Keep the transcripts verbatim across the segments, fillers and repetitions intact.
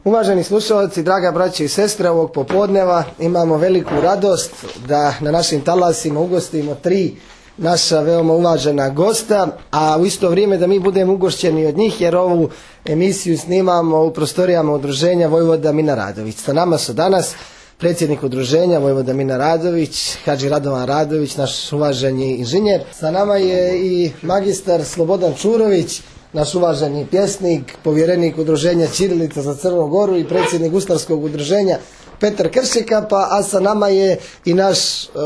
Uvaženi slušalci, draga braće i sestre, ovog popodneva imamo veliku radost da na našim talasima ugostimo tri naša veoma uvažena gosta, a u isto vrijeme da mi budemo ugošćeni od njih, jer ovu emisiju snimamo u prostorijama udruženja Vojvoda Mina Radović. Sa nama su danas predsjednik udruženja Vojvoda Mina Radović, Hadži Radovan Radović, naš uvaženi inženjer. Sa nama je i magistar Slobodan Čurović, naš uvaženi pjesnik, povjerenik udruženja Ćirilica za Crnu Goru i predsjednik Guslarskog udruženja Petar Kršikapa, a sa nama je i naš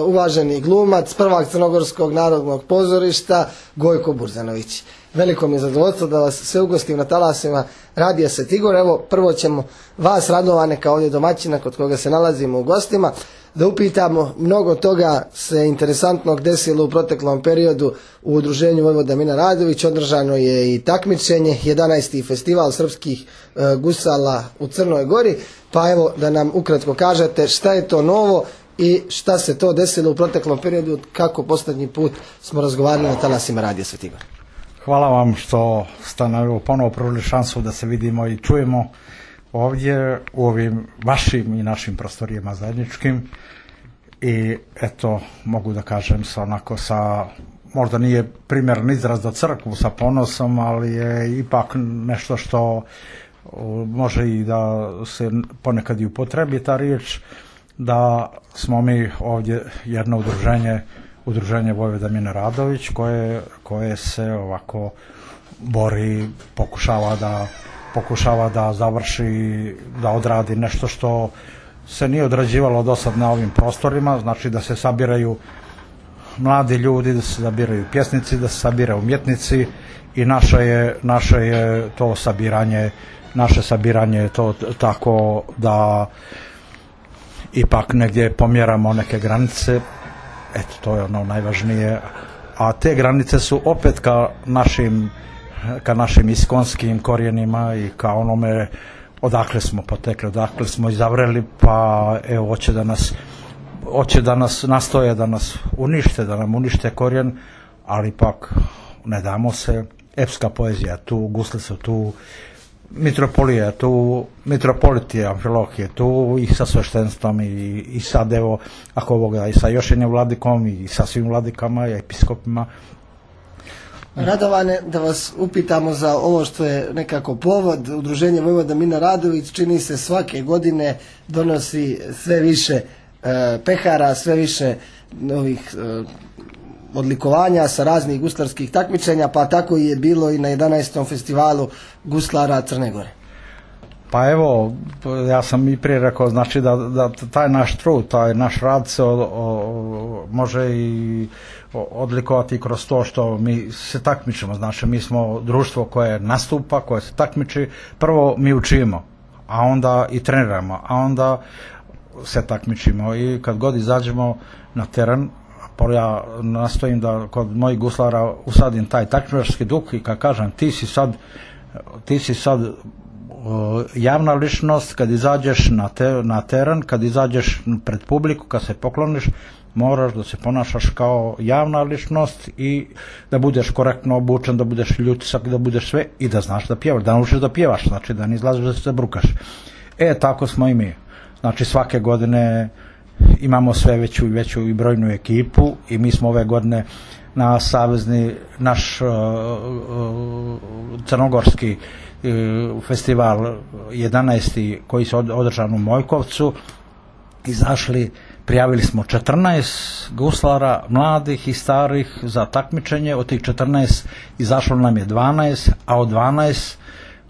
uvaženi glumac, prvak Crnogorskog narodnog pozorišta Gojko Burzanović. Veliko mi je zadovoljstvo da vas sve ugostim na talasima Radija Sveti Igor. Evo, prvo ćemo vas, Radovane, kao ovdje domaćina kod koga se nalazimo u gostima, da upitamo. Mnogo toga se interesantnog desilo u proteklom periodu u udruženju Vojvoda Mina Radović. Održano je i takmičenje, jedanaesti festival srpskih e, gusala u Crnoj Gori. Pa evo da nam ukratko kažete šta je to novo i šta se to desilo u proteklom periodu, kako posljednji put smo razgovarali na talasima Radija Sveti Igor. Hvala vam što ste nam ponovo pružili šansu da se vidimo i čujemo ovdje u ovim vašim i našim prostorijama zajedničkim. I eto, mogu da kažem sa onako sa, možda nije primjeren izraz za crkvu sa ponosom, ali je ipak nešto što može i da se ponekad i upotrebi ta riječ, da smo mi ovdje jedno udruženje, udruženje Vojvoda Mina Radović, koje, koje se ovako bori, pokušava da pokušava da završi, da odradi nešto što se nije odrađivalo do sad na ovim prostorima, znači da se sabiraju mladi ljudi, da se sabiraju pjesnici, da se sabiraju umjetnici i naše je, naše je to sabiranje, naše sabiranje je to tako da ipak negdje pomjeramo neke granice, eto to je ono najvažnije, a te granice su opet ka našim ka našim iskonskim korijenima i ka onome odakle smo potekli, odakle smo izavreli, pa evo hoće da nas hoće da nas nastoje da nas unište, da nam unište korijen, ali ipak ne damo se. Epska poezija tu, gusle su tu, mitropolija tu, mitropoliti Amfilohije je tu i sa sveštenstvom i, i sad evo ako ovoga i sa još jednim vladikom i sa svim vladikama i episkopima. Radovane, da vas upitamo za ovo što je nekako povod. Udruženje Vojvoda Mina Radović čini se svake godine donosi sve više e, pehara, sve više novih e, odlikovanja sa raznih guslarskih takmičenja, pa tako je bilo i na jedanaestom festivalu guslara Crne Gore. Pa evo, ja sam i prije rekao, znači da, da taj naš trud, taj naš rad se o, o, može i odlikovati kroz to što mi se takmičimo. Znači mi smo društvo koje nastupa, koje se takmiči. Prvo mi učimo, a onda i treniramo, a onda se takmičimo i kad god izađemo na teren, ja nastojim da kod mojih guslara usadim taj takmičarski duh i kad kažem ti si sad ti si sad javna ličnost, kad izađeš na, te, na teren, kad izađeš pred publiku, kad se pokloniš, moraš da se ponašaš kao javna ličnost i da budeš korektno obučen, da budeš ljutisak, da budeš sve i da znaš da pjevaš, da naučiš da pjevaš, znači da ne izlaziš da se brukaš. E, tako smo i mi. Znači svake godine imamo sve veću i veću i brojnu ekipu i mi smo ove godine na savezni, naš uh, uh, crnogorski uh, festival jedanaesti koji se održan u Mojkovcu izašli, prijavili smo četrnaest guslara, mladih i starih za takmičenje. Od tih četrnaest izašlo nam je dvanaest, a od dvanaest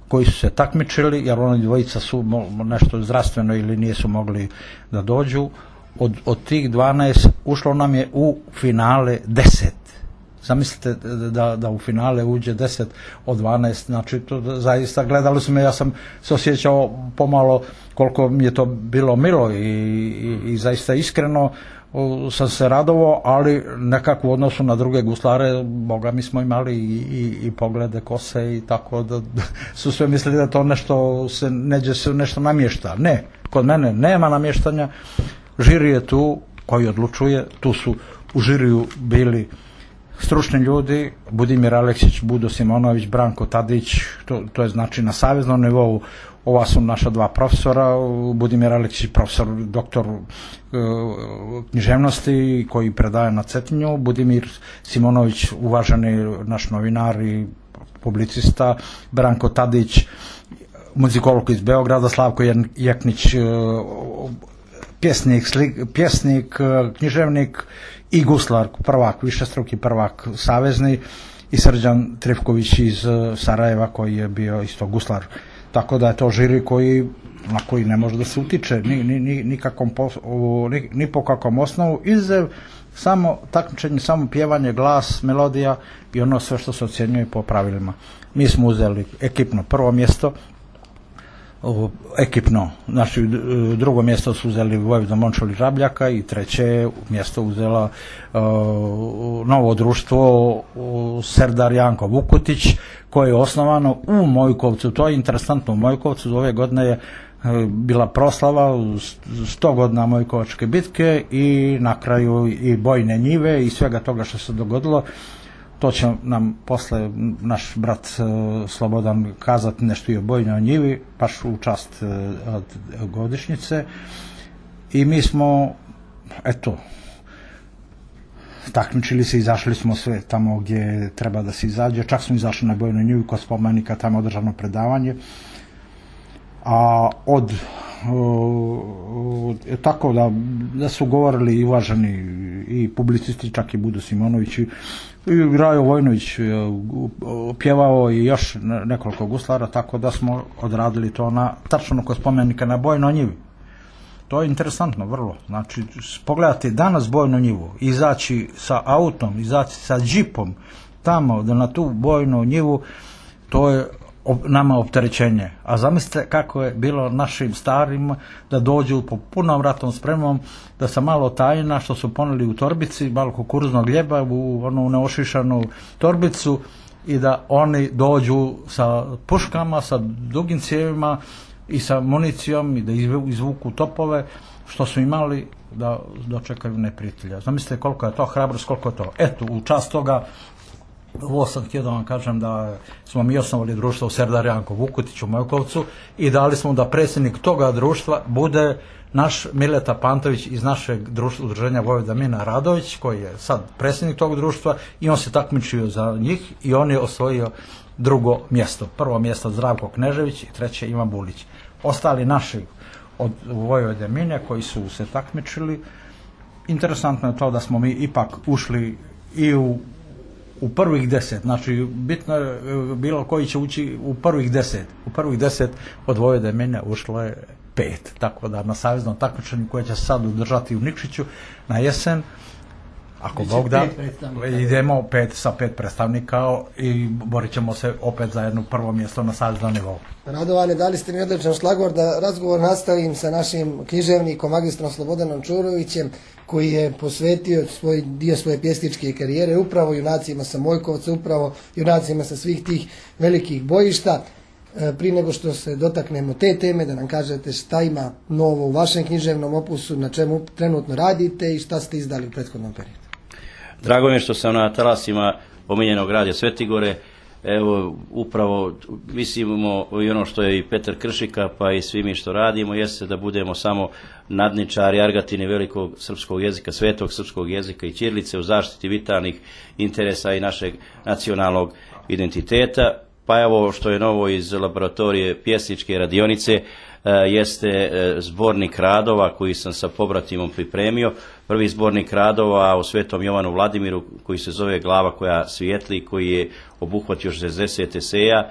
koji su se takmičili, jer oni dvojica su nešto zdravstveno ili nisu mogli da dođu, od, od tih dvanaest ušlo nam je u finale deset. Zamislite da, da u finale uđe deset od dvanaest, znači to zaista gledali smo, ja sam se osjećao pomalo koliko mi je to bilo milo i, i, i zaista iskreno sam se radovao, ali nekako u odnosu na druge guslare, boga mi smo imali i, i, i poglede kose i tako da, da su sve mislili da to nešto se neđe se nešto namješta. Ne, kod mene nema namještanja, žiri je tu koji odlučuje, tu su u žiriju bili stručni ljudi, Budimir Aleksić, Budo Simonović, Branko Tadić, to, to je znači na saveznom nivou ova su naša dva profesora, Budimir Aleksić, profesor doktor e, književnosti koji predaje na Cetinju, Budimir Simonović, uvaženi naš novinar i publicista, Branko Tadić, muzikolog iz Beograda, Slavko Jeknić, e, pjesnik, slik, pjesnik, književnik i guslar, prvak, višestruki prvak savezni, i Srđan Trifković iz Sarajeva koji je bio isto guslar. Tako da je to žiri koji, na koji ne može da se utiče ni, ni, ni, nikakvom pos, ni, ni po kakvom osnovu, izuzev samo takmičenje, samo pjevanje, glas, melodija i ono sve što se ocjenjuje po pravilima. Mi smo uzeli ekipno prvo mjesto, ekipno, znači drugo mjesto su uzeli Vojvoda Momčil Žabljaka i treće mjesto uzela uh, novo društvo uh, Serdar Janko Vukutić, koje je osnovano u Mojkovcu. To je interesantno, u Mojkovcu ove godine je uh, bila proslava sto godina Mojkovačke bitke i na kraju i bojne njive i svega toga što se dogodilo. To će nam posle naš brat uh, Slobodan kazati nešto i o bojnoj njivi, baš u čast uh, od godišnjice. I mi smo, eto, takmičili se, izašli smo sve tamo gdje treba da se izađe. Čak smo izašli na bojnoj njivi kod spomenika, tamo održano predavanje. A od uh, tako da, da su govorili i uvaženi i publicisti, čak i Budo Simonović i i Rajo Vojnović pjevao i još nekoliko guslara, tako da smo odradili to na tačno kod spomenika na bojnoj njivi. To je interesantno vrlo. Znači, pogledati danas bojnu njivu, izaći sa autom, izaći sa džipom tamo da na tu bojnu njivu, to je nama opterećenje. A zamislite kako je bilo našim starima da dođu po punom ratnom spremom, da sa malo tajna što su poneli u torbici, malo kukuruznog gljeba u onu neošišanu torbicu i da oni dođu sa puškama, sa dugim cijevima i sa municijom i da izvuku topove što su imali da dočekaju neprijatelja. Zamislite koliko je to hrabrost, koliko je to. Eto, u čast toga ovo sam htio da vam kažem da smo mi osnovali društvo u Serdar Janko Vukutić u Mojkovcu i dali smo da predsjednik toga društva bude naš Mileta Pantović iz našeg društva, udruženja Vojvoda Mina Radović, koji je sad predsjednik tog društva i on se takmičio za njih i on je osvojio drugo mjesto. Prvo mjesto Zdravko Knežević i treće Ivan Bulić. Ostali naši od Vojvode Mine koji su se takmičili. Interesantno je to da smo mi ipak ušli i u u prvih deset, znači bitno je bilo koji će ući u prvih deset. U prvih deset od Vojvode Mine ušlo je pet, tako da na saveznom takmičenju koje će se sad održati u Nikšiću na jesen, ako Bog da, idemo pet sa pet predstavnika i borit ćemo se opet za jedno prvo mjesto na saveznom nivou. Radovane, dali ste mi odličan šlagvor da razgovor nastavim sa našim književnikom, magistrom Slobodanom Čurovićem, koji je posvetio svoj dio svoje pjesničke karijere upravo junacima sa Mojkovca, upravo junacima sa svih tih velikih bojišta. E, prije nego što se dotaknemo te teme, da nam kažete šta ima novo u vašem književnom opusu, na čemu trenutno radite i šta ste izdali u prethodnom periodu. Drago mi je što sam na talasima omiljenog radija Svetigore. Evo, upravo mislimo i ono što je i Petar Kršika, pa i svi mi što radimo, jeste da budemo samo nadničari, argatini velikog srpskog jezika, svetog srpskog jezika i ćirilice u zaštiti vitalnih interesa i našeg nacionalnog identiteta. Pa evo što je novo iz laboratorije pjesničke radionice, jeste zbornik radova koji sam sa pobratimom pripremio. Prvi zbornik radova o Svetom Jovanu Vladimiru koji se zove Glava koja svijetli, koji je obuhvatio šezdeset eseja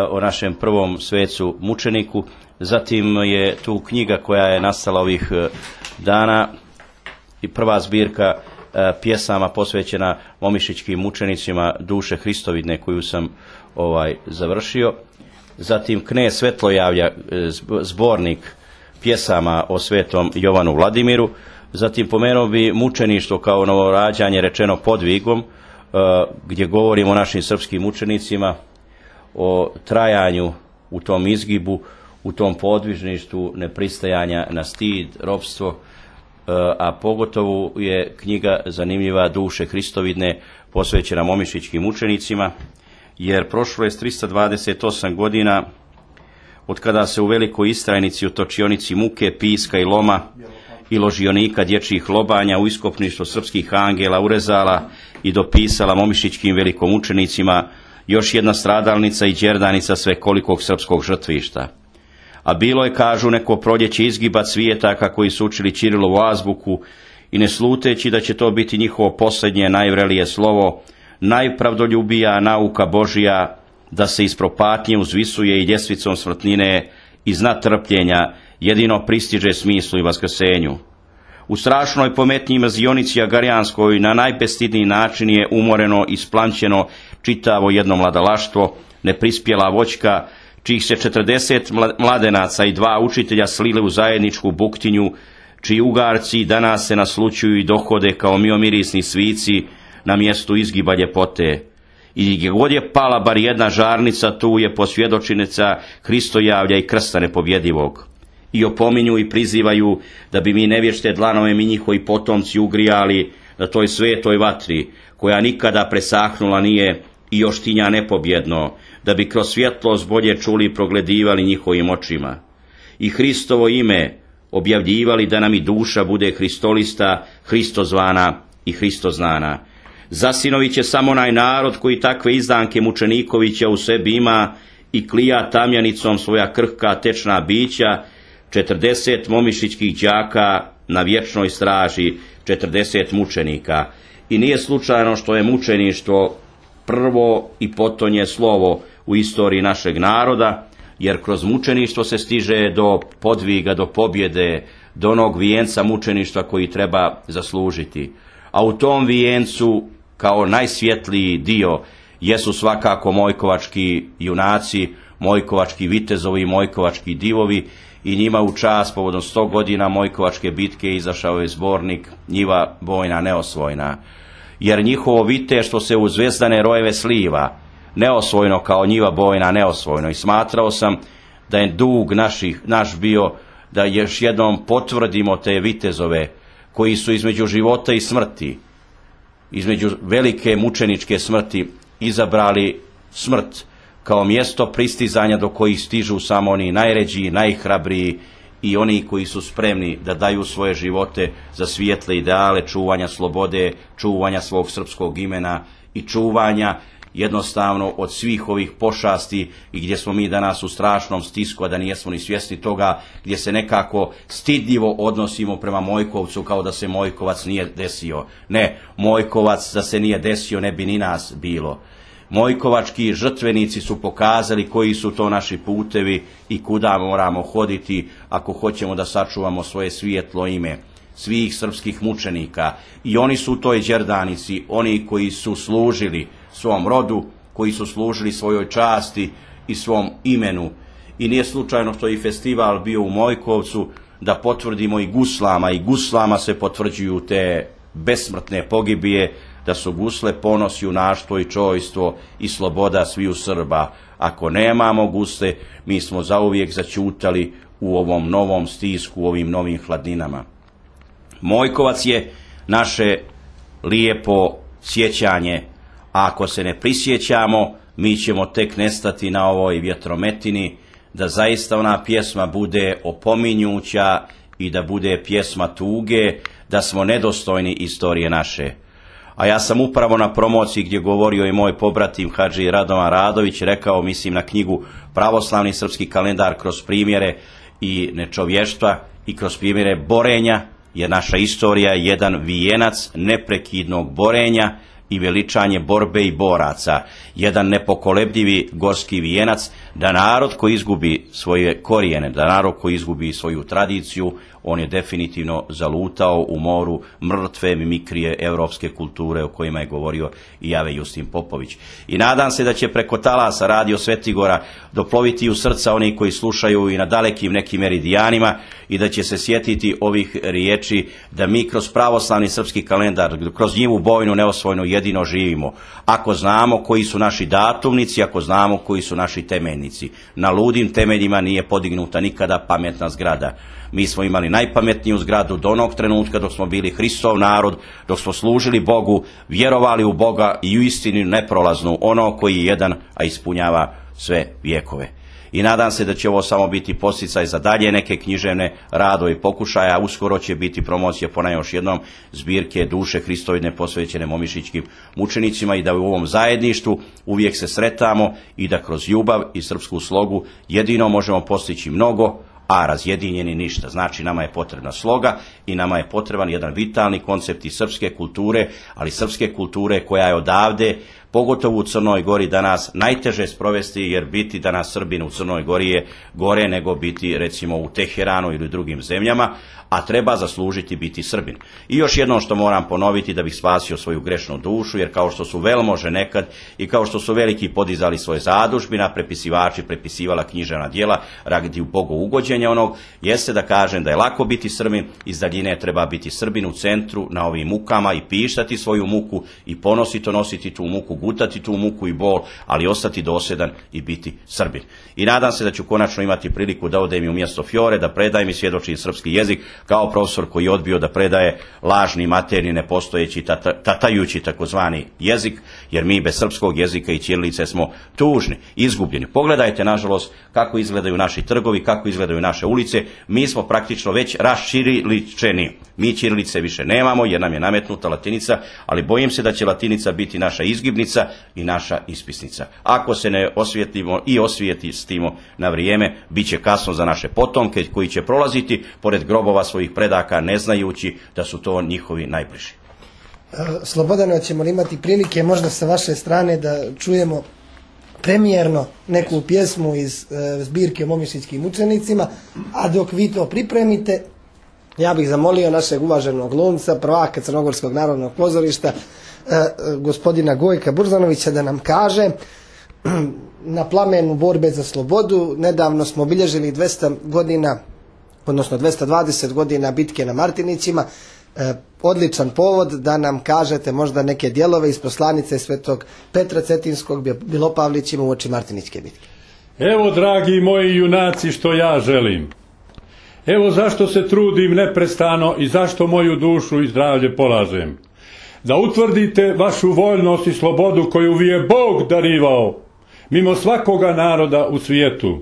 o našem prvom svecu mučeniku. Zatim je tu knjiga koja je nastala ovih dana i prva zbirka pjesama posvećena momišićkim mučenicima duše Hristovidne koju sam ovaj završio. Zatim Knez Svetlojavlja, zbornik pjesama o Svetom Jovanu Vladimiru. Zatim pomenuo bi mučeništvo kao novorađanje rečeno podvigom, gdje govorimo o našim srpskim mučenicima, o trajanju u tom izgibu, u tom podvižništvu nepristajanja na stid, ropstvo, a pogotovo je knjiga zanimljiva Duše Hristovidne posvećena momišićkim mučenicima, jer prošlo je trista dvadeset osam godina od kada se u Velikoj Istrajnici u točionici muke, piska i loma i ložionika dječjih lobanja u iskopništvo srpskih angela urezala i dopisala momišićkim velikomučenicima još jedna stradalnica i đerdanica svekolikog srpskog žrtvišta. A bilo je, kažu, neko proljeće izgiba cvijetaka koji su učili Ćirilovu azbuku i ne sluteći da će to biti njihovo posljednje najvrelije slovo, najpravdoljubija nauka Božija, da se iz propatnje uzvisuje i ljestvicom smrtnine iz trpljenja jedino pristiže smislu i vaskrsenju. U strašnoj pometnji mrzionici agarijanskoj na najbestidniji način je umoreno i splančeno čitavo jedno mladalaštvo, neprispjela voćka, čijih se četrdeset mladenaca i dva učitelja slile u zajedničku buktinju, čiji ugarci danas se naslučuju i dohode kao miomirisni svici na mjestu izgiba ljepote. I gdje god je pala bar jedna žarnica, tu je posvjedočinica Hristojavlja i krsta nepobjedivog. I opominju i prizivaju da bi mi nevješte dlanove mi njihovi potomci ugrijali na toj svetoj vatri, koja nikada presahnula nije i još tinja nepobjedno, da bi kroz svjetlost bolje čuli i progledivali njihovim očima. I Hristovo ime objavljivali da nam i duša bude Hristolista, Hristozvana i Hristoznana. Zasinovi će samo onaj narod koji takve izdanke Mučenikovića u sebi ima i klija tamjanicom svoja krhka tečna bića, četrdeset momišićkih đaka na vječnoj straži, četrdeset mučenika. I nije slučajno što je mučeništvo prvo i potonje slovo u istoriji našeg naroda, jer kroz mučeništvo se stiže do podviga, do pobjede, do onog vijenca mučeništva koji treba zaslužiti. A u tom vijencu, kao najsvjetliji dio, jesu svakako mojkovački junaci, mojkovački vitezovi i mojkovački divovi, i njima u čast povodom sto godina mojkovačke bitke izašao je zbornik Njiva bojna neosvojna. Jer njihovo viteštvo se u zvezdane rojeve sliva, neosvojno kao njiva bojna neosvojno. I smatrao sam da je dug naših, naš bio da još jednom potvrdimo te vitezove koji su između života i smrti, između velike mučeničke smrti, izabrali smrt kao mjesto pristizanja do kojih stižu samo oni najređiji, najhrabriji i oni koji su spremni da daju svoje živote za svijetle ideale čuvanja slobode, čuvanja svog srpskog imena i čuvanja jednostavno od svih ovih pošasti i gdje smo mi danas u strašnom stisku, a da nijesmo ni svjesni toga, gdje se nekako stidljivo odnosimo prema Mojkovcu kao da se Mojkovac nije desio. Ne, Mojkovac da se nije desio ne bi ni nas bilo. Mojkovački žrtvenici su pokazali koji su to naši putevi i kuda moramo hoditi ako hoćemo da sačuvamo svoje svijetlo ime svih srpskih mučenika. I oni su u toj đerdanici, oni koji su služili svom rodu, koji su služili svojoj časti i svom imenu. I nije slučajno što je i festival bio u Mojkovcu, da potvrdimo i guslama, i guslama se potvrđuju te besmrtne pogibije, da su gusle ponos, junaštvo i čojstvo i sloboda sviju Srba. Ako nemamo gusle, mi smo zauvijek začutali u ovom novom stisku, u ovim novim hladninama. Mojkovac je naše lijepo sjećanje, a ako se ne prisjećamo, mi ćemo tek nestati na ovoj vjetrometini, da zaista ona pjesma bude opominjuća i da bude pjesma tuge, da smo nedostojni istorije naše. A ja sam upravo na promociji gdje govorio i moj pobratim Hadži Radovan Radović rekao, mislim na knjigu Pravoslavni srpski kalendar kroz primjere i nečovještva i kroz primjere borenja, jer naša istorija je jedan vijenac neprekidnog borenja i veličanje borbe i boraca, jedan nepokolebljivi gorski vijenac, da narod koji izgubi svoje korijene, da narod koji izgubi svoju tradiciju, on je definitivno zalutao u moru mrtve mimikrije europske kulture o kojima je govorio i Jave Justin Popović. I nadam se da će preko talasa Radio Svetigora doploviti u srca oni koji slušaju i na dalekim nekim meridijanima i da će se sjetiti ovih riječi da mi kroz pravoslavni srpski kalendar, kroz njivu bojnu neosvojnu jedino živimo. Ako znamo koji su naši datumnici, ako znamo koji su naši temeljnici. Na ludim temeljima nije podignuta nikada pametna zgrada. Mi smo imali najpametniju zgradu do onog trenutka dok smo bili Hristov narod, dok smo služili Bogu, vjerovali u Boga i u istinu neprolaznu, ono koji je jedan, a ispunjava sve vjekove. i nadam se da će ovo samo biti podsticaj za dalje neke književne radove i pokušaja. Uskoro će biti promocija ponavljam još jednom zbirke Duše Hristovidne posvećene momišićkim mučenicima i da u ovom zajedništvu uvijek se sretamo i da kroz ljubav i srpsku slogu jedino možemo postići mnogo, a razjedinjeni ništa. Znači nama je potrebna sloga i nama je potreban jedan vitalni koncept i srpske kulture, ali srpske kulture koja je odavde, pogotovo u Crnoj Gori danas najteže sprovesti, jer biti danas Srbin u Crnoj Gori je gore nego biti recimo u Teheranu ili drugim zemljama, a treba zaslužiti biti Srbin. I još jednom što moram ponoviti da bih spasio svoju grešnu dušu, jer kao što su velmože nekad i kao što su veliki podizali svoje zadužbina, prepisivači prepisivala književna djela radi u Bogu ugođenja onog, jeste da kažem da je lako biti Srbin, iz daljine treba biti Srbin u centru na ovim mukama i pištati svoju muku i ponosito nositi tu muku, gutati tu muku i bol, ali ostati dosljedan i biti Srbin. I nadam se da ću konačno imati priliku da odem i u mjesto Fiore, da predajem i svjedočim srpski jezik, kao profesor koji je odbio da predaje lažni, materni, nepostojeći, tata, tatajući takozvani jezik, jer mi bez srpskog jezika i ćirilice smo tužni, izgubljeni. Pogledajte, nažalost, kako izgledaju naši trgovi, kako izgledaju naše ulice. Mi smo praktično već raščiriličeni. Mi ćirilice više nemamo jer nam je nametnuta latinica, ali bojim se da će latinica biti naša izgibnica i naša ispisnica. Ako se ne osvijetlimo i osvijestimo na vrijeme, bit će kasno za naše potomke koji će prolaziti pored grobova svojih predaka ne znajući da su to njihovi najbliži. Slobodano, ćemo li imati prilike možda sa vaše strane da čujemo premijerno neku pjesmu iz e, zbirke o momišićkim mučenicima, a dok vi to pripremite, ja bih zamolio našeg uvaženog glumca, prvaka Crnogorskog narodnog pozorišta, e, gospodina Gojka Burzanovića, da nam kaže na plamenu borbe za slobodu. Nedavno smo obilježili dvesta godina, odnosno dvesta dvadeset godina bitke na Martinićima. E, odličan povod da nam kažete možda neke dijelove iz poslanice svetog Petra Cetinskog Bilopavlićima u oči Martinićke bitke. Evo, dragi moji junaci, što ja želim. Evo zašto se trudim neprestano i zašto moju dušu i zdravlje polažem. Da utvrdite vašu voljnost i slobodu koju vi je Bog darivao mimo svakoga naroda u svijetu.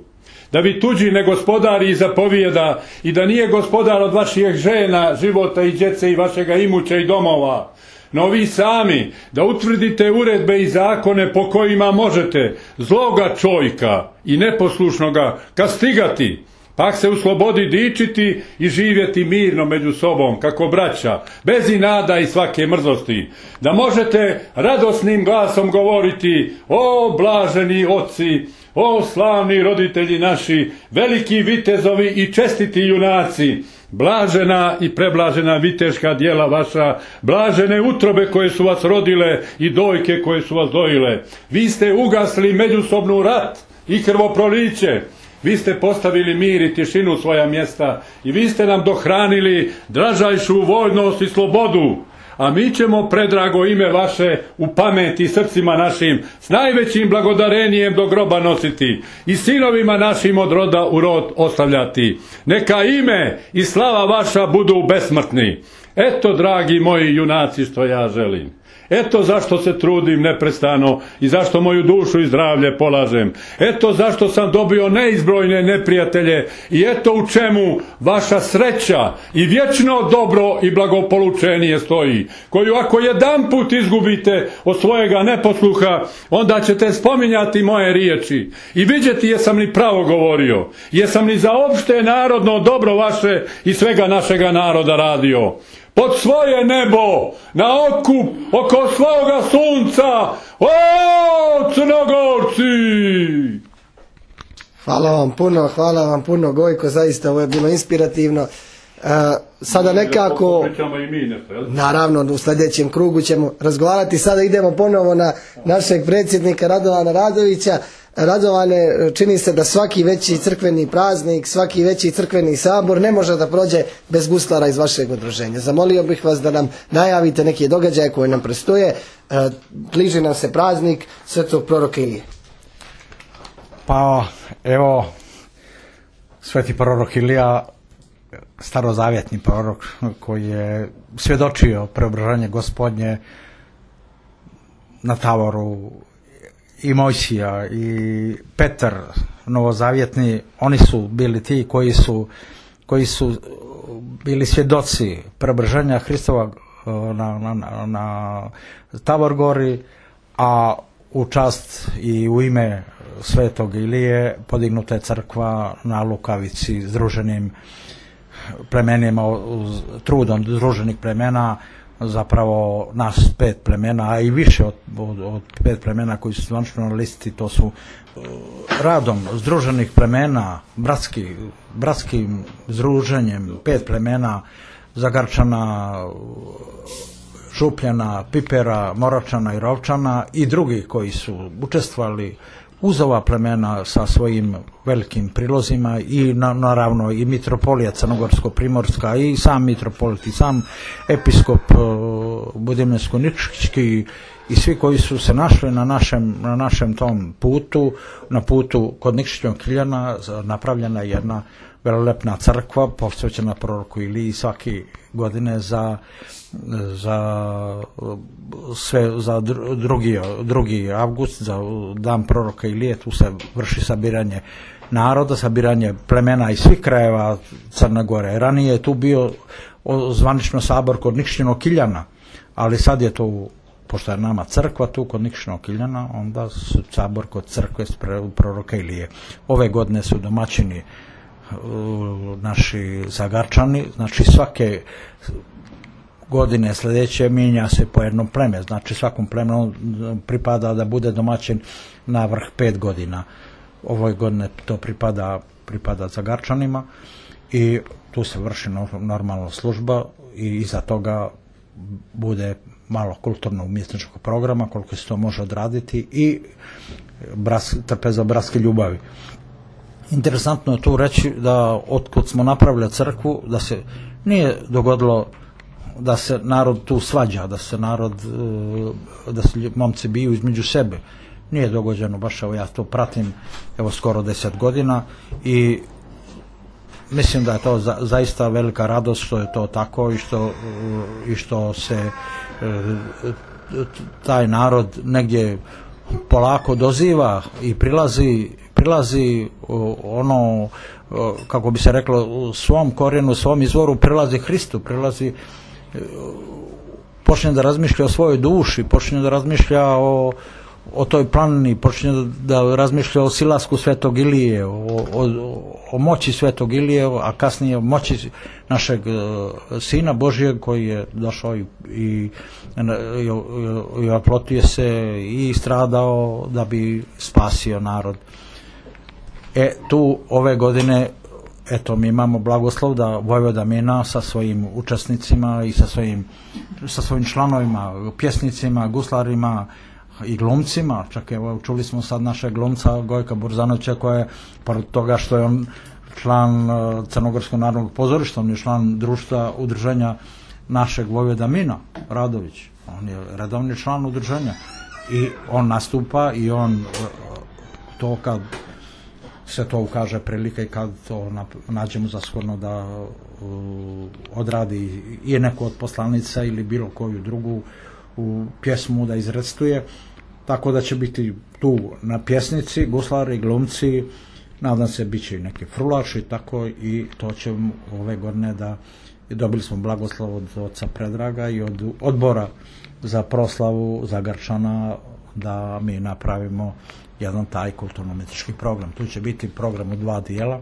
Da vi tuđi ne gospodari i zapovijeda i da nije gospodar od vaših žena, života i djece i vašega imuća i domova. No vi sami da utvrdite uredbe i zakone po kojima možete zloga čovjeka i neposlušnoga kastigati, pak se u slobodi dičiti i živjeti mirno među sobom, kako braća, bez inada i svake mrzosti. Da možete radosnim glasom govoriti: o blaženi oci, o slavni roditelji naši, veliki vitezovi i čestiti junaci, blažena i preblažena viteška djela vaša, blažene utrobe koje su vas rodile i dojke koje su vas dojile. Vi ste ugasli međusobnu rat i krvoproliće. Vi ste postavili mir i tišinu u svoja mjesta i vi ste nam dohranili dražajšu voljnost i slobodu. A mi ćemo predrago ime vaše u pameti srcima našim s najvećim blagodarenjem do groba nositi i sinovima našim od roda u rod ostavljati. Neka ime i slava vaša budu besmrtni. Eto, dragi moji junaci, što ja želim. Eto zašto se trudim neprestano i zašto moju dušu i zdravlje polažem. Eto zašto sam dobio neizbrojne neprijatelje i eto u čemu vaša sreća i vječno dobro i blagopolučenije stoji, koju ako jedan put izgubite od svojega neposluha, onda ćete spominjati moje riječi i vidjeti jesam li pravo govorio, jesam li za opšte narodno dobro vaše i svega našega naroda radio. Pod svoje nebo, na otkup, oko svoga sunca, o Crnogorci! Hvala vam puno, hvala vam puno, Gojko, zaista ovo je bilo inspirativno. Uh, sada nekako, naravno u sljedećem krugu ćemo razgovarati. Sada idemo ponovo na našeg predsjednika Radovana Radovića. Radovane, čini se da svaki veći crkveni praznik, svaki veći crkveni sabor ne može da prođe bez guslara iz vašeg udruženja. Zamolio bih vas da nam najavite neke događaje koje nam prestoje. Bliži nam se praznik svetog proroka Ilije. Pa evo, sveti prorok Ilija, starozavjetni prorok koji je svjedočio preobražanje Gospodnje na Tavoru, i Mojsija i Petar novozavjetni, oni su bili ti koji su, koji su bili svjedoci preobraženja Hristova na, na, na, na Tabor gori, a u čast i u ime Svetog Ilije podignuta je crkva na Lukavici združenim plemenima, trudom združenih plemena, zapravo nas pet plemena, a i više od, od, od pet plemena koji su zvanično na listi, to su radom združenih plemena, bratski, bratskim združenjem pet plemena Zagarčana, Župljana, Pipera, Moračana i Rovčana i drugi koji su učestvovali uz ova plemena sa svojim velikim prilozima i na, naravno i mitropolija Crnogorsko-Primorska i sam mitropolit i sam episkop Budimljansko-Nikšićki i svi koji su se našli na našem, na našem tom putu, na putu kod Nikšićnog Kiljana napravljena jedna velelepna crkva posvećena proroku Iliji svake godine za za sve za drugi, drugi avgust, za dan proroka Ilije. Tu se vrši sabiranje naroda, sabiranje plemena iz svih krajeva Crne Gore. Ranije je tu bio zvanično sabor kod Nikšićnog Kiljana, ali sad je to, pošto je nama crkva tu kod Nikšićnog Kiljana, onda su sabor kod crkve proroka Ilije. Ove godine su domaćini naši Zagarčani, znači svake godine sljedeće mijenja se po jednom pleme, znači svakom plemenu pripada da bude domaćin na vrh pet godina. Ove godine to pripada, pripada Zagarčanima i tu se vrši normalna služba i iza toga bude malo kulturno-umjetničkog programa koliko se to može odraditi i bras, trpeza bratske ljubavi. Interesantno je tu reći da otkud smo napravili crkvu, da se nije dogodilo da se narod tu svađa, da se narod, da se momci biju između sebe. Nije dogođeno, baš evo ja to pratim evo skoro deset godina i mislim da je to za, zaista velika radost što je to tako i što, i što se taj narod negdje polako doziva i prilazi prilazi ono, kako bi se reklo, svom korijenu, svom izvoru, prilazi Hristu, prilazi, počne da razmišlja o svojoj duši, počne da razmišlja o, o toj planini, počne da razmišlja o silasku Svetog Ilije, o, o, o moći Svetog Ilije, a kasnije o moći našeg Sina Božijeg koji je došao i, i, i, i oplotio se i stradao da bi spasio narod. E, tu ove godine, eto, mi imamo blagoslov da Vojvoda Mina sa svojim učesnicima i sa svojim, sa svojim članovima, pjesnicima, guslarima i glumcima, čak evo, čuli smo sad našeg glumca Gojka Burzanovića koja je, pored toga što je on član Crnogorskog narodnog pozorišta, on je član društva udruženja našeg Vojvoda Mina Radović, on je redovni član udruženja i on nastupa i on to kad se to ukaže prilika i kad to nađemo za shodno da uh, odradi i neku od poslanica ili bilo koju drugu u pjesmu da izrecituje, tako da će biti tu na pjesnici, guslari, glumci, nadam se bit će i neki frulači, tako i to ćemo ove godine da dobili smo blagoslov od oca Predraga i od odbora za proslavu Zagarčana da mi napravimo jedan taj kulturno-umjetnički program. Tu će biti program u dva dijela,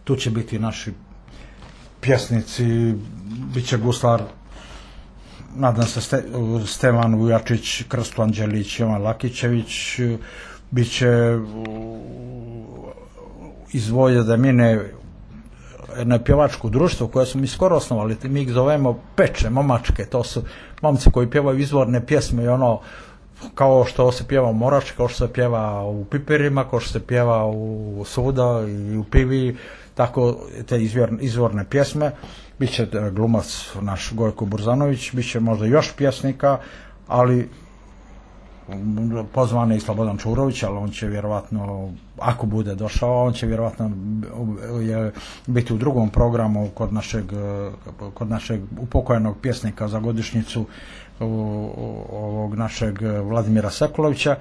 tu će biti naši pjesnici, bit će guslar, nadam se Ste, Stevan Vujačić, Krsto Anđelić, Jovan Lakićević, bit će iz Vojvode Mine jedno pjevačko društvo koje smo mi skoro osnovali, mi ih zovemo Peče, momačke, to su momci koji pjevaju izvorne pjesme i ono kao što se pjeva u Morački, kao što se pjeva u Piperima, kao što se pjeva u Suda i u Pivi, tako te izvorne, izvorne pjesme. Biće glumac naš Gojko Burzanović, biće možda još pjesnika, ali pozvan je i Slobodan Čurović, ali on će vjerovatno, ako bude došao, on će vjerovatno je, biti u drugom programu kod našeg, kod našeg upokojenog pjesnika za godišnjicu ovog našeg Vladimira Sekulovića,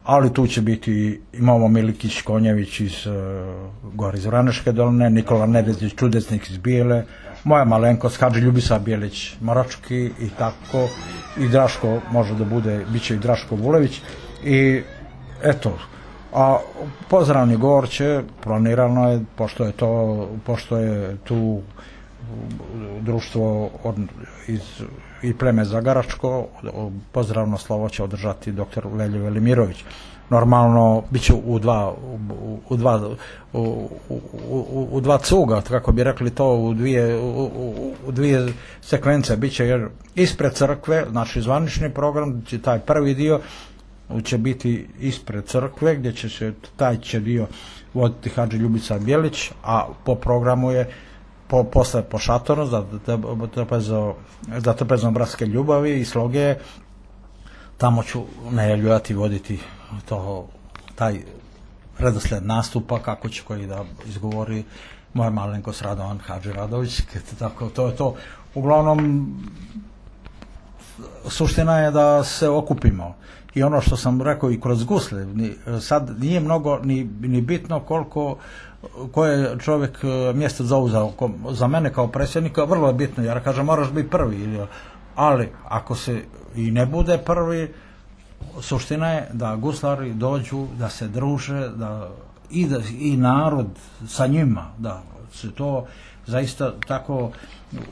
ali tu će biti, imamo Milikić Konjević iz uh, gore iz Vraneške doline, Nikola Nedezić čudesnik iz Bijele, moja malenkost Hadži Ljubisa Bijelić Morački i tako, i Draško može da bude, bit će i Draško Vulević, i eto, a Pozdravni Gorće planirano je, pošto je to, pošto je tu društvo od, iz, i pleme Zagaračko, pozdravno slovo će održati doktor Veljo Velimirović. Normalno bit će u dva u, u dva u, u, u dva cuga, kako bi rekli to, u dvije u, u, u dvije sekvence bit će, jer ispred crkve, znači zvanični program će, taj prvi dio će biti ispred crkve, gdje će se taj će dio voditi Hadži Ljubica Bijelić, a po programu je po, posle po šatoru za, za, za trpezom bratske ljubavi i sloge. Tamo ću najavljivati, voditi to, taj redosled nastupa, kako će koji da izgovori moja malenkost Radovan Hadži Radović. Tako, to je to. Uglavnom, suština je da se okupimo. I ono što sam rekao i kroz gusle, sad nije mnogo ni, ni bitno koliko koje je čovjek mjesto zauzao. Za mene kao predsjednika vrlo je bitno, jer kažem moraš biti prvi, ali ako se i ne bude prvi, suština je da guslari dođu, da se druže, da i, da, i narod sa njima, da se to zaista tako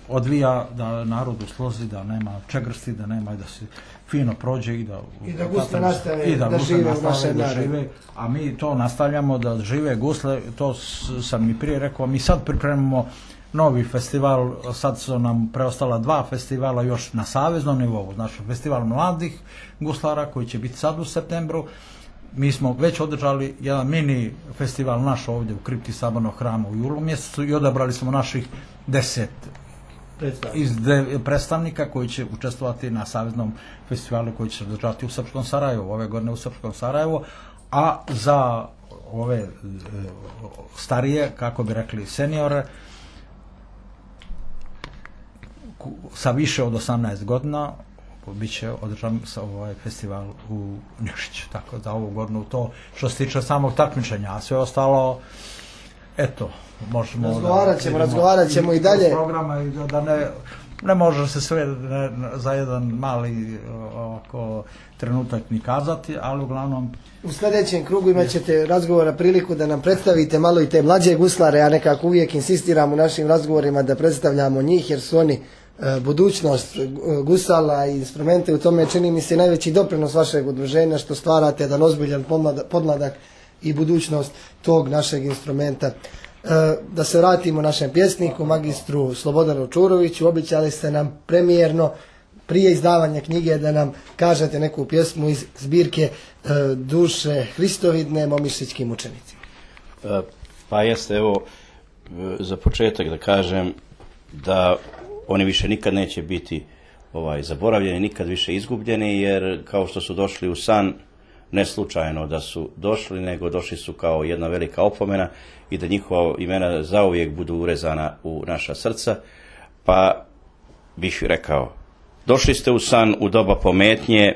odvija, da narod uslozi, da nema čegrsti, da nema, da se fino prođe i da i da gusle nastave i da, da žive u našem da žive, a mi to nastavljamo da žive gusle. To sam i prije rekao, mi sad pripremamo novi festival, sad su nam preostala dva festivala još na saveznom nivou, znači festival mladih guslara koji će biti sad u septembru. Mi smo već održali jedan mini festival naš ovdje u kripti Sabornog hrama u julu mjesecu i odabrali smo naših deset iz de, predstavnika koji će učestvovati na saveznom festivalu koji će se održati u Srpskom Sarajevu, ove godine u Srpskom Sarajevu, a za ove e, starije, kako bi rekli seniore, sa više od osamnaest godina bit će održan ovaj festival u Nikšiću, tako da ovu godinu to što se tiče samog takmičenja, a sve ostalo eto, možemo razgovarat ćemo, da, razgovarat ćemo i, i dalje programa i da, da ne, ne može se sve ne, za jedan mali oko trenutak ni kazati, ali uglavnom u sljedećem krugu imat ćete razgovora priliku da nam predstavite malo i te mlađe guslare. Ja nekako uvijek insistiram u našim razgovorima da predstavljamo njih, jer su oni e, budućnost gusala i instrumente. U tome čini mi se najveći doprinos vašeg udruženja, što stvarate jedan ozbiljan podmladak i budućnost tog našeg instrumenta. E, da se vratimo našem pjesniku, magistru Slobodanu Čuroviću. Običali ste nam premijerno prije izdavanja knjige da nam kažete neku pjesmu iz zbirke e, Duše Hristovidne Momišićkim učenicima. E, pa jeste, evo, za početak da kažem da oni više nikad neće biti ovaj zaboravljeni, nikad više izgubljeni, jer kao što su došli u san, ne slučajno da su došli, nego došli su kao jedna velika opomena i da njihova imena zauvijek budu urezana u naša srca. Pa bih rekao, došli ste u san u doba pometnje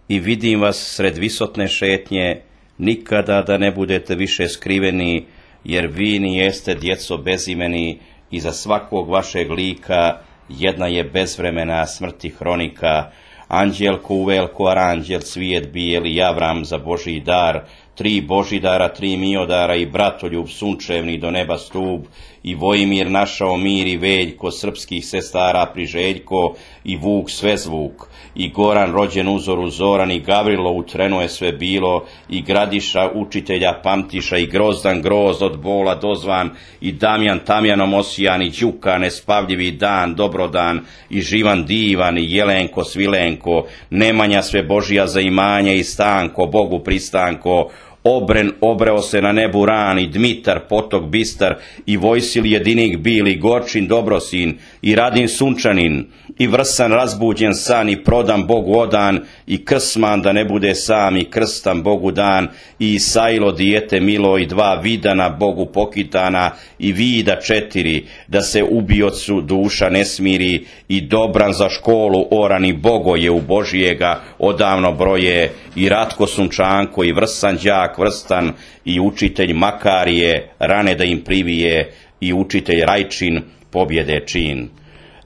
i vidim vas sred visotne šetnje, nikada da ne budete više skriveni, jer vi ni jeste djeco bezimeni, i za svakog vašeg lika jedna je bezvremena smrti hronika. Anđel kuvelko aranđel cvijet bijeli javram za Božji dar, tri Božidara, tri Miodara i bratoljub sunčevni do neba stup, i Vojimir našao mir i Veljko, srpskih sestara Priželjko i Vuk Svezvuk, i Goran rođen uzoru Zoran, i Gavrilo u trenu je sve bilo, i Gradiša učitelja Pamtiša, i Grozdan Grozd od bola dozvan, i Damjan Tamjanom osijan, i Đuka nespavljivi dan Dobrodan, i Živan divan, i Jelenko Svilenko, Nemanja sve Božija za imanje i Stanko Bogu pristanko, Obren obreo se na nebu ran, i Dmitar, potok bistar, i Vojsil jedinik bil, i Gorčin dobrosin, i Radin sunčanin, i Vrsan razbuđen san, i prodan Bogu odan, i Krsman da ne bude sam, i Krstan Bogu dan, i Isailo dijete milo, i dva Vidana Bogu pokitana, i Vida četiri, da se ubiocu duša ne smiri, i Dobran za školu oran, i Bogoje u Božijega odavno broje, i Ratko sunčanko, i Vrsan đak vrstan, i učitelj Makarije rane da im privije, i učitelj Rajčin pobjede čin.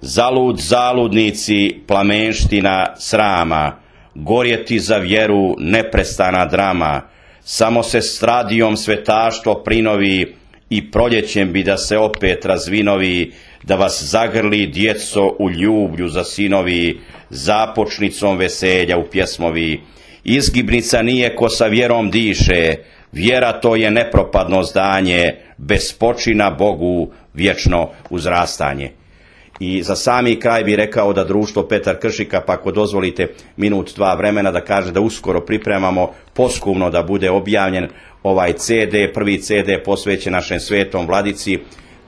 Zalud zaludnici, plamenština srama, gorjeti za vjeru neprestana drama, samo se stradijom svetaštvo prinovi, i proljećem bi da se opet razvinovi, da vas zagrli djeco u ljublju za sinovi, započnicom veselja u pjesmovi. Izgibnica nije ko sa vjerom diše, vjera to je nepropadno zdanje, bez počina Bogu vječno uzrastanje. I za sami kraj bi rekao da društvo Petar Kršika, pa ako dozvolite minut dva vremena, da kaže da uskoro pripremamo poskumno da bude objavljen ovaj ce de, prvi ce de posvećen našem svetom vladici,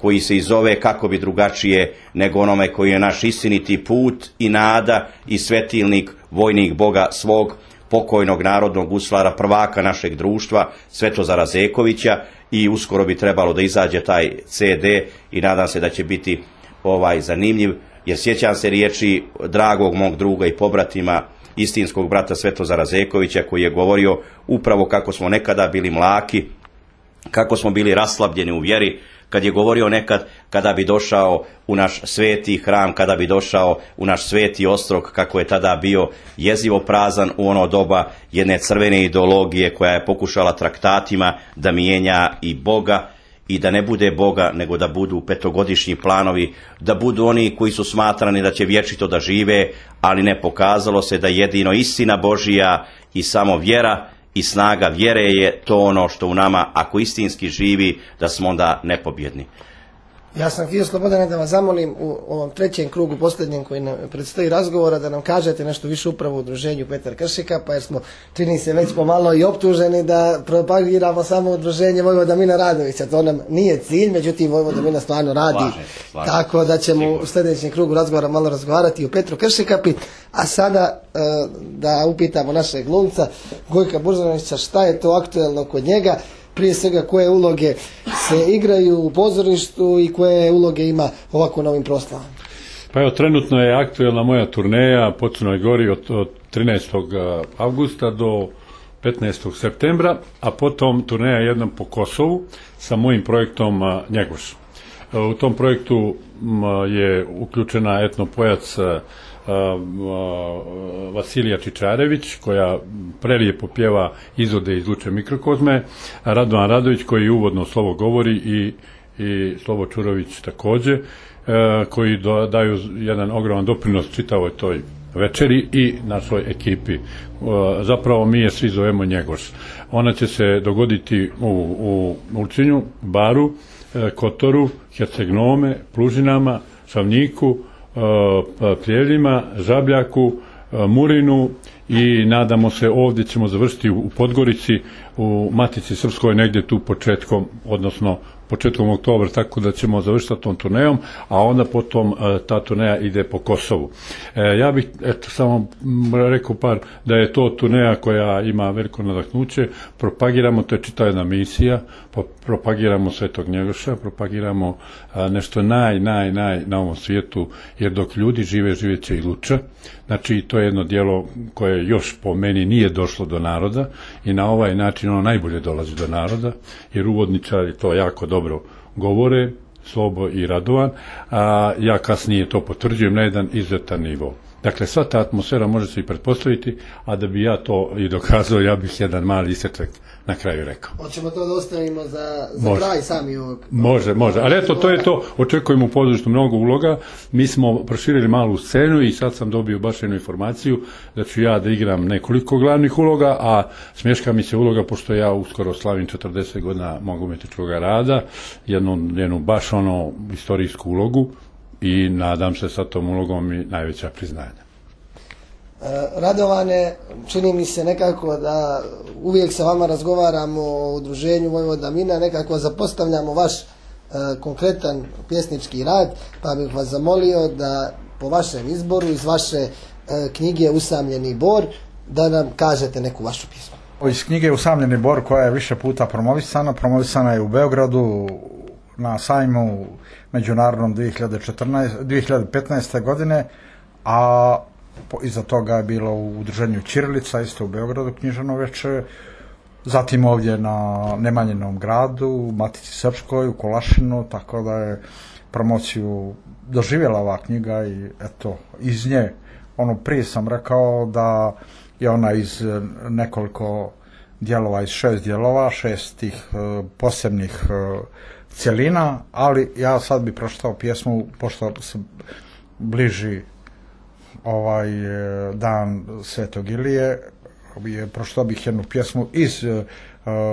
koji se i zove kako bi drugačije nego onome koji je naš istiniti put i nada i svetilnik, vojnik Boga svog, pokojnog narodnog guslara, prvaka našeg društva, Svetozara Zekovića, i uskoro bi trebalo da izađe taj ce de i nadam se da će biti ovaj zanimljiv, jer sjećam se riječi dragog mog druga i pobratima, istinskog brata Svetozara Zekovića, koji je govorio upravo kako smo nekada bili mlaki, kako smo bili raslabljeni u vjeri, kad je govorio nekad kada bi došao u naš sveti hram, kada bi došao u naš sveti ostrog, kako je tada bio jezivo prazan u ono doba jedne crvene ideologije koja je pokušala traktatima da mijenja i Boga, i da ne bude Boga, nego da budu petogodišnji planovi, da budu oni koji su smatrani da će vječito da žive, ali ne, pokazalo se da jedino istina Božija i samo vjera i snaga vjere je to ono što u nama, ako istinski živi, da smo onda nepobjedni. Ja sam htio, Slobodane, da vas zamolim u ovom trećem krugu, posljednjem koji nam predstoji razgovora, da nam kažete nešto više upravo u udruženju Petar Kršika, pa jer smo, čini se, već pomalo i optuženi da propagiramo samo udruženje Vojvoda Mina Radovića. To nam nije cilj, međutim Vojvoda Mina stvarno radi. Slažem, slažem. Tako da ćemo u sljedećem krugu razgovora malo razgovarati o Petru Kršikapi. A sada e, da upitamo našeg glumca Gojka Buržanovića šta je to aktuelno kod njega. Prije svega koje uloge se igraju u pozorištu i koje uloge ima ovako na ovim proslavama. Pa evo, trenutno je aktuelna moja turneja po Crnoj Gori od, od trinaestog avgusta do petnaestog septembra, a potom turneja jednom po Kosovu sa mojim projektom Njegoš. U tom projektu je uključena etnopojac Vasilija Čičarević, koja prelijepo pjeva izvode iz Luče mikrokozme, Radovan Radović koji uvodno slovo govori i, i Slobo Čurović također, koji do, daju jedan ogroman doprinos čitavoj toj večeri i našoj ekipi. Zapravo mi je svi zovemo Njegoš. Ona će se dogoditi u, u Ulcinju, Baru, Kotoru, Herceg-Nome, Plužinama, Šavnjiku, Prijeljima, Žabljaku, Murinu i nadamo se ovdje ćemo završiti u Podgorici, u Matici Srpskoj negdje tu početkom, odnosno početkom oktobra, tako da ćemo završiti tom turnejom, a onda potom ta turneja ide po Kosovu. E, ja bih eto samo rekao par da je to turneja koja ima veliko nadahnuće, propagiramo, to je čitava jedna misija, propagiramo Svetog Njegoša, propagiramo a, nešto naj, naj, naj na ovom svijetu, jer dok ljudi žive, živet će i Luča. Znači to je jedno djelo koje još po meni nije došlo do naroda i na ovaj način ono najbolje dolazi do naroda, jer uvodničari to jako dobro govore, Slobo i Radovan, a ja kasnije to potvrđujem na jedan izuzetan nivo. Dakle, sva ta atmosfera može se i pretpostaviti, a da bi ja to i dokazao, ja bih jedan mali isječak na kraju rekao. Hoćemo to da ostavimo za, za kraj sami ovog... Može, može, ali eto, to je to, očekujemo u pozorištu mnogo uloga, mi smo proširili malu scenu i sad sam dobio baš jednu informaciju da ću ja da igram nekoliko glavnih uloga, a smješka mi se uloga, pošto ja uskoro slavim četrdeset godina mog umjetničkog rada, jednu, jednu baš ono istorijsku ulogu, i nadam se sa tom ulogom i najveća priznanja. Radovane, čini mi se nekako da uvijek sa vama razgovaramo o udruženju Vojvoda Mina, nekako zapostavljamo vaš e, konkretan pjesnički rad, pa bih vas zamolio da po vašem izboru iz vaše e, knjige Usamljeni bor da nam kažete neku vašu pjesmu. Iz knjige Usamljeni bor, koja je više puta promovisana, promovisana je u Beogradu na sajmu međunarodnom dvije hiljade petnaeste. godine, a iza toga je bilo u udruženju Ćirilica, isto u Beogradu književno veče, zatim ovdje na Nemanjinom gradu, u Matici Srpskoj, u Kolašinu, tako da je promociju doživjela ova knjiga i eto, iz nje, ono prije sam rekao da je ona iz nekoliko dijelova, iz šest dijelova, šest tih uh, posebnih uh, cjelina, ali ja sad bi pročitao pjesmu, pošto se bliži ovaj dan Svetog Ilije, pročitao bih jednu pjesmu iz uh,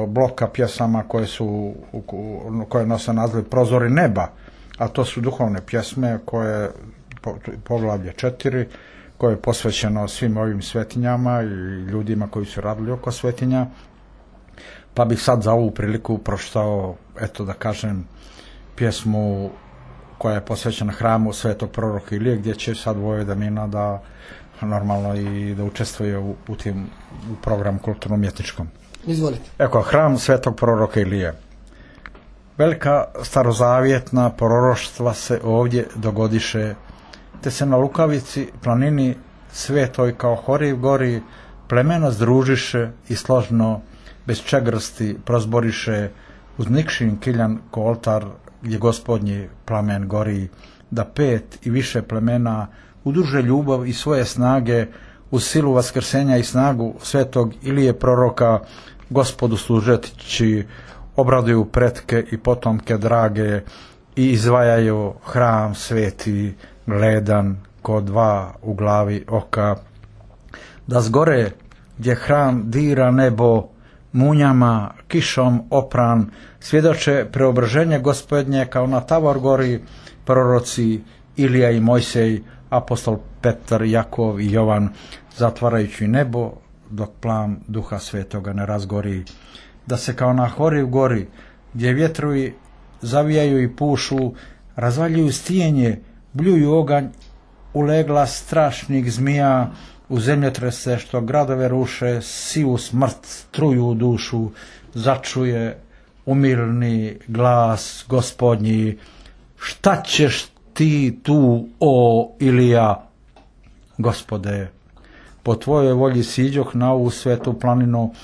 bloka pjesama koje su koje nose naziv Prozori neba, a to su duhovne pjesme koje po, poglavlje četiri, koje je posvećeno svim ovim svetinjama i ljudima koji su radili oko svetinja. Pa bih sad za ovu priliku pročitao, eto da kažem, pjesmu koja je posvećena hramu Svetog proroka Ilije, gdje će sad Vojvoda Mina da normalno i da učestvuje u, u tim u programu kulturno-umjetničkom. Izvolite. Eko, hram Svetog proroka Ilije. Velika starozavjetna proroštva se ovdje dogodiše, te se na Lukavici planini svetoj kao Horiv gori plemena združiše i složno bez čegrsti prozboriše uz Nikšin kiljan ko oltar gdje gospodnji plamen gori, da pet i više plemena udruže ljubav i svoje snage uz silu vaskrsenja i snagu Svetog Ilije proroka Gospodu služeći obraduju pretke i potomke drage i izvajaju hram sveti gledan ko dva u glavi oka, da zgore gdje hram dira nebo munjama kišom opran svjedoče preobraženje Gospodnje kao na Tavor gori proroci Ilija i Mojsej, apostol Petar, Jakov i Jovan, zatvarajući nebo dok plan Duha Svetoga ne razgori, da se kao na Horiv gori gdje vjetrovi zavijaju i pušu, razvaljuju stijenje, bljuju oganj, ulegla strašnih zmija, u zemljotrese što gradove ruše, sivu smrt truju u dušu, začuje umilni glas Gospodnji, šta ćeš ti tu, o Ilija? Gospode, po tvojoj volji siđoh na ovu svetu planinu,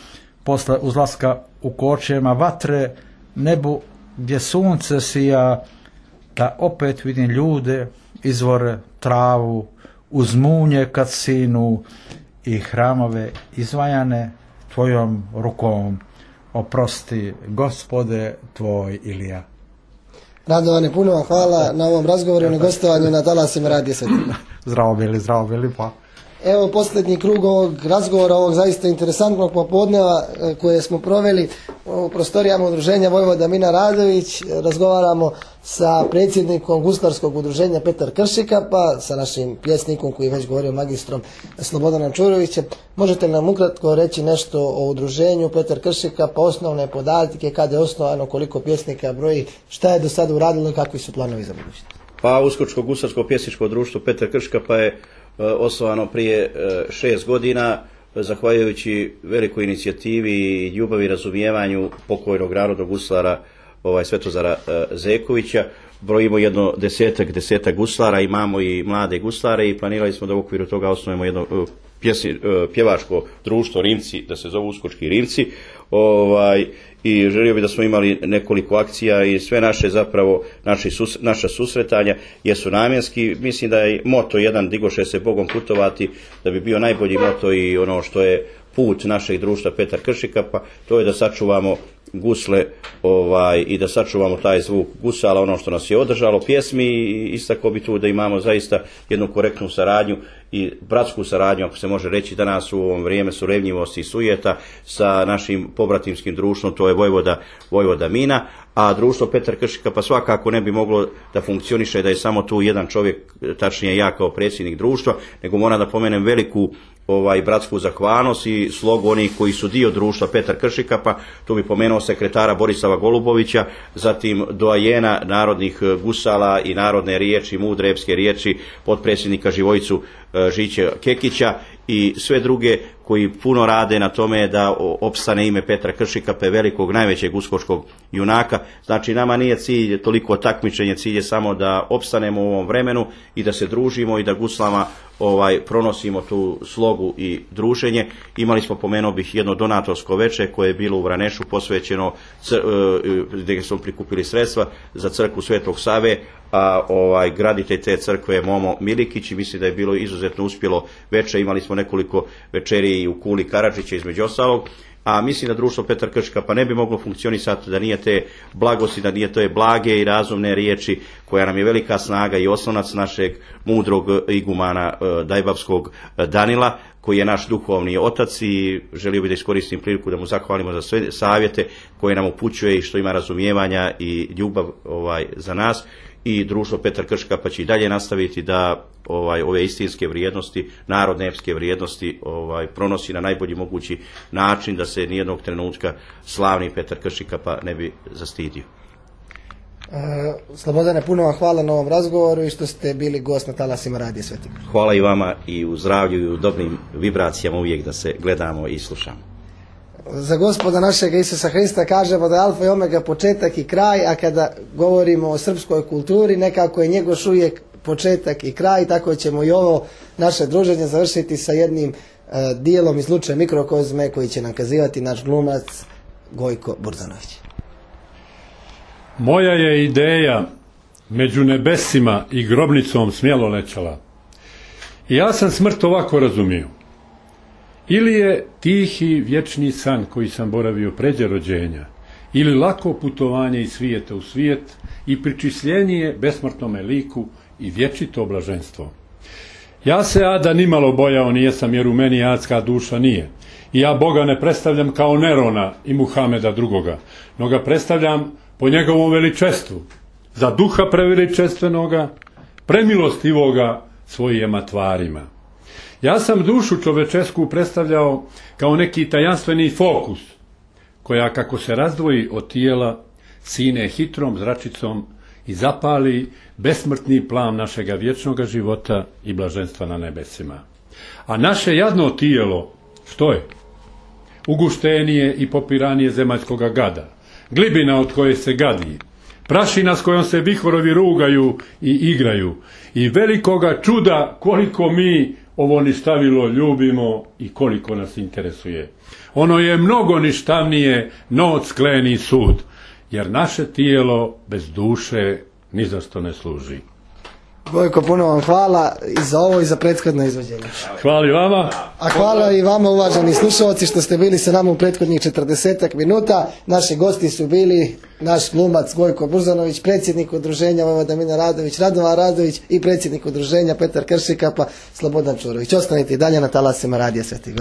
posle uzlaska u kočijama vatre, nebu gdje sunce sija, da opet vidim ljude, izvore, travu, uz munje kad sinu i hramove izvajane tvojom rukom. Oprosti, Gospode, tvoj Ilija. Radovane, puno vam hvala na ovom razgovoru i na gostovanju na talasima Radija Svetina. Zdravo bili, zdravo bili, pa. Evo posljednji krug ovog razgovora, ovog zaista interesantnog popodneva koje smo proveli u prostorijama udruženja Vojvoda Mina Radović. Razgovaramo sa predsjednikom guslarskog udruženja Petar Kršika, pa sa našim pjesnikom koji je već govorio, magistrom Slobodanom Čurovićem. Možete li nam ukratko reći nešto o udruženju Petar Kršika, pa osnovne podatke, kada je osnovano, koliko pjesnika broji, šta je do sada uradilo i kakvi su planovi za budućnost? Pa Uskočko gusarsko pjesničko društvo Petar Kršika pa je osnovano prije šest godina, zahvaljujući velikoj inicijativi i ljubavi i razumijevanju pokojnog narodnog guslara ovaj, Svetozara Zekovića. Brojimo jedno desetak, desetak guslara, imamo i mlade guslare i planirali smo da u okviru toga osnovimo jedno pjesni, pjevačko društvo Rimci, da se zovu Uskočki Rimci. Ovaj, i želio bi da smo imali nekoliko akcija i sve naše zapravo naši sus, naša susretanja jesu namjenski. Mislim da je moto jedan digoše se Bogom putovati, da bi bio najbolji moto i ono što je put našeg društva Petar Kršika, pa to je da sačuvamo gusle ovaj, i da sačuvamo taj zvuk gusala, ono što nas je održalo pjesmi, i istako bi tu da imamo zaista jednu korektnu saradnju i bratsku saradnju, ako se može reći danas u ovom vrijeme surevnjivosti i sujeta, sa našim pobratimskim društvom, to je Vojvoda, Vojvoda Mina, a društvo Petar Kršika pa svakako ne bi moglo da funkcioniše da je samo tu jedan čovjek, tačnije ja kao predsjednik društva, nego moram da pomenem veliku ovaj bratsku zahvalnost i slogu onih koji su dio društva Petar Kršikapa, tu bi pomenuo sekretara Borislava Golubovića, zatim doajena narodnih gusala i narodne riječi, mudre epske riječi, potpredsjednika Živojicu Žiće Kekića i sve druge koji puno rade na tome da opstane ime Petra Kršikape, velikog, najvećeg uskočkog junaka. Znači, nama nije cilj toliko takmičenje, cilj je samo da opstanemo u ovom vremenu i da se družimo i da guslama ovaj pronosimo tu slogu i druženje. Imali smo, pomenuo bih, jedno donatorsko veče koje je bilo u Vranešu posvećeno, gdje smo prikupili sredstva za crkvu Svetog Save, a ovaj graditelj te crkve je Momo Milikić i mislim da je bilo izuzetno uspjelo veče. Imali smo nekoliko večeri i u Kuli Karadžića između ostalog, a mislim da društvo Petar Kršikapa ne bi moglo funkcionisati da nije te blagosti, da nije te blage i razumne riječi koja nam je velika snaga i oslonac našeg mudrog igumana Dajbavskog Danila, koji je naš duhovni otac, i želio bih da iskoristim priliku da mu zahvalimo za sve savjete koje nam upućuje i što ima razumijevanja i ljubav ovaj za nas. I društvo Petar Kršikapa će i dalje nastaviti da ovaj ove istinske vrijednosti, narodne epske vrijednosti ovaj pronosi na najbolji mogući način, da se nijednog trenutka slavni Petar Kršikapa ne bi zastidio. E, Slobodane, puno vam hvala na ovom razgovoru i što ste bili gost na talasima Radija Sveti Gor. Hvala i vama, i u zdravlju i u dobrim vibracijama uvijek da se gledamo i slušamo. Za Gospoda našeg Isusa Hrista kažemo da je alfa i omega, početak i kraj, a kada govorimo o srpskoj kulturi, nekako je Njegoš uvijek početak i kraj, tako ćemo i ovo naše druženje završiti sa jednim uh, dijelom iz Luče Mikrokozme koji će nam kazivati naš glumac Gojko Burzanović. Moja je ideja među nebesima i grobnicom smjelo lećala. I ja sam smrt ovako razumio. Ili je tihi vječni san koji sam boravio pređe rođenja, ili lako putovanje iz svijeta u svijet i pričisljenje besmrtnome liku i vječito blaženstvo. Ja se ada nimalo bojao nijesam, jer u meni adska duša nije. I ja Boga ne predstavljam kao Nerona i Muhameda drugoga, no ga predstavljam po njegovom veličestvu, za duha preveličestvenoga, premilostivoga svojima tvarima. Ja sam dušu čovečesku predstavljao kao neki tajanstveni fokus, koja kako se razdvoji od tijela, sine hitrom zračicom i zapali besmrtni plan našega vječnoga života i blaženstva na nebesima. A naše jadno tijelo, što je? Uguštenije i popiranije zemaljskoga gada, glibina od koje se gadi, prašina s kojom se vihorovi rugaju i igraju, i velikoga čuda koliko mi ovo ništavilo ljubimo i koliko nas interesuje. Ono je mnogo ništavnije no skleni sud, jer naše tijelo bez duše ni za što ne služi. Gojko, puno vam hvala i za ovo i za prethodno izvođenje. Hvala i vama. A hvala i vama, uvaženi slušalci, što ste bili sa nama u prethodnih četrdesetak minuta. Naši gosti su bili naš glumac Gojko Burzanović, predsjednik udruženja Vojvoda Mina Radović, Radovan Radović i predsjednik udruženja Petar Kršikapa, Slobodan Čurović. Ostanite i dalje na talasima Radija Sveti Gor.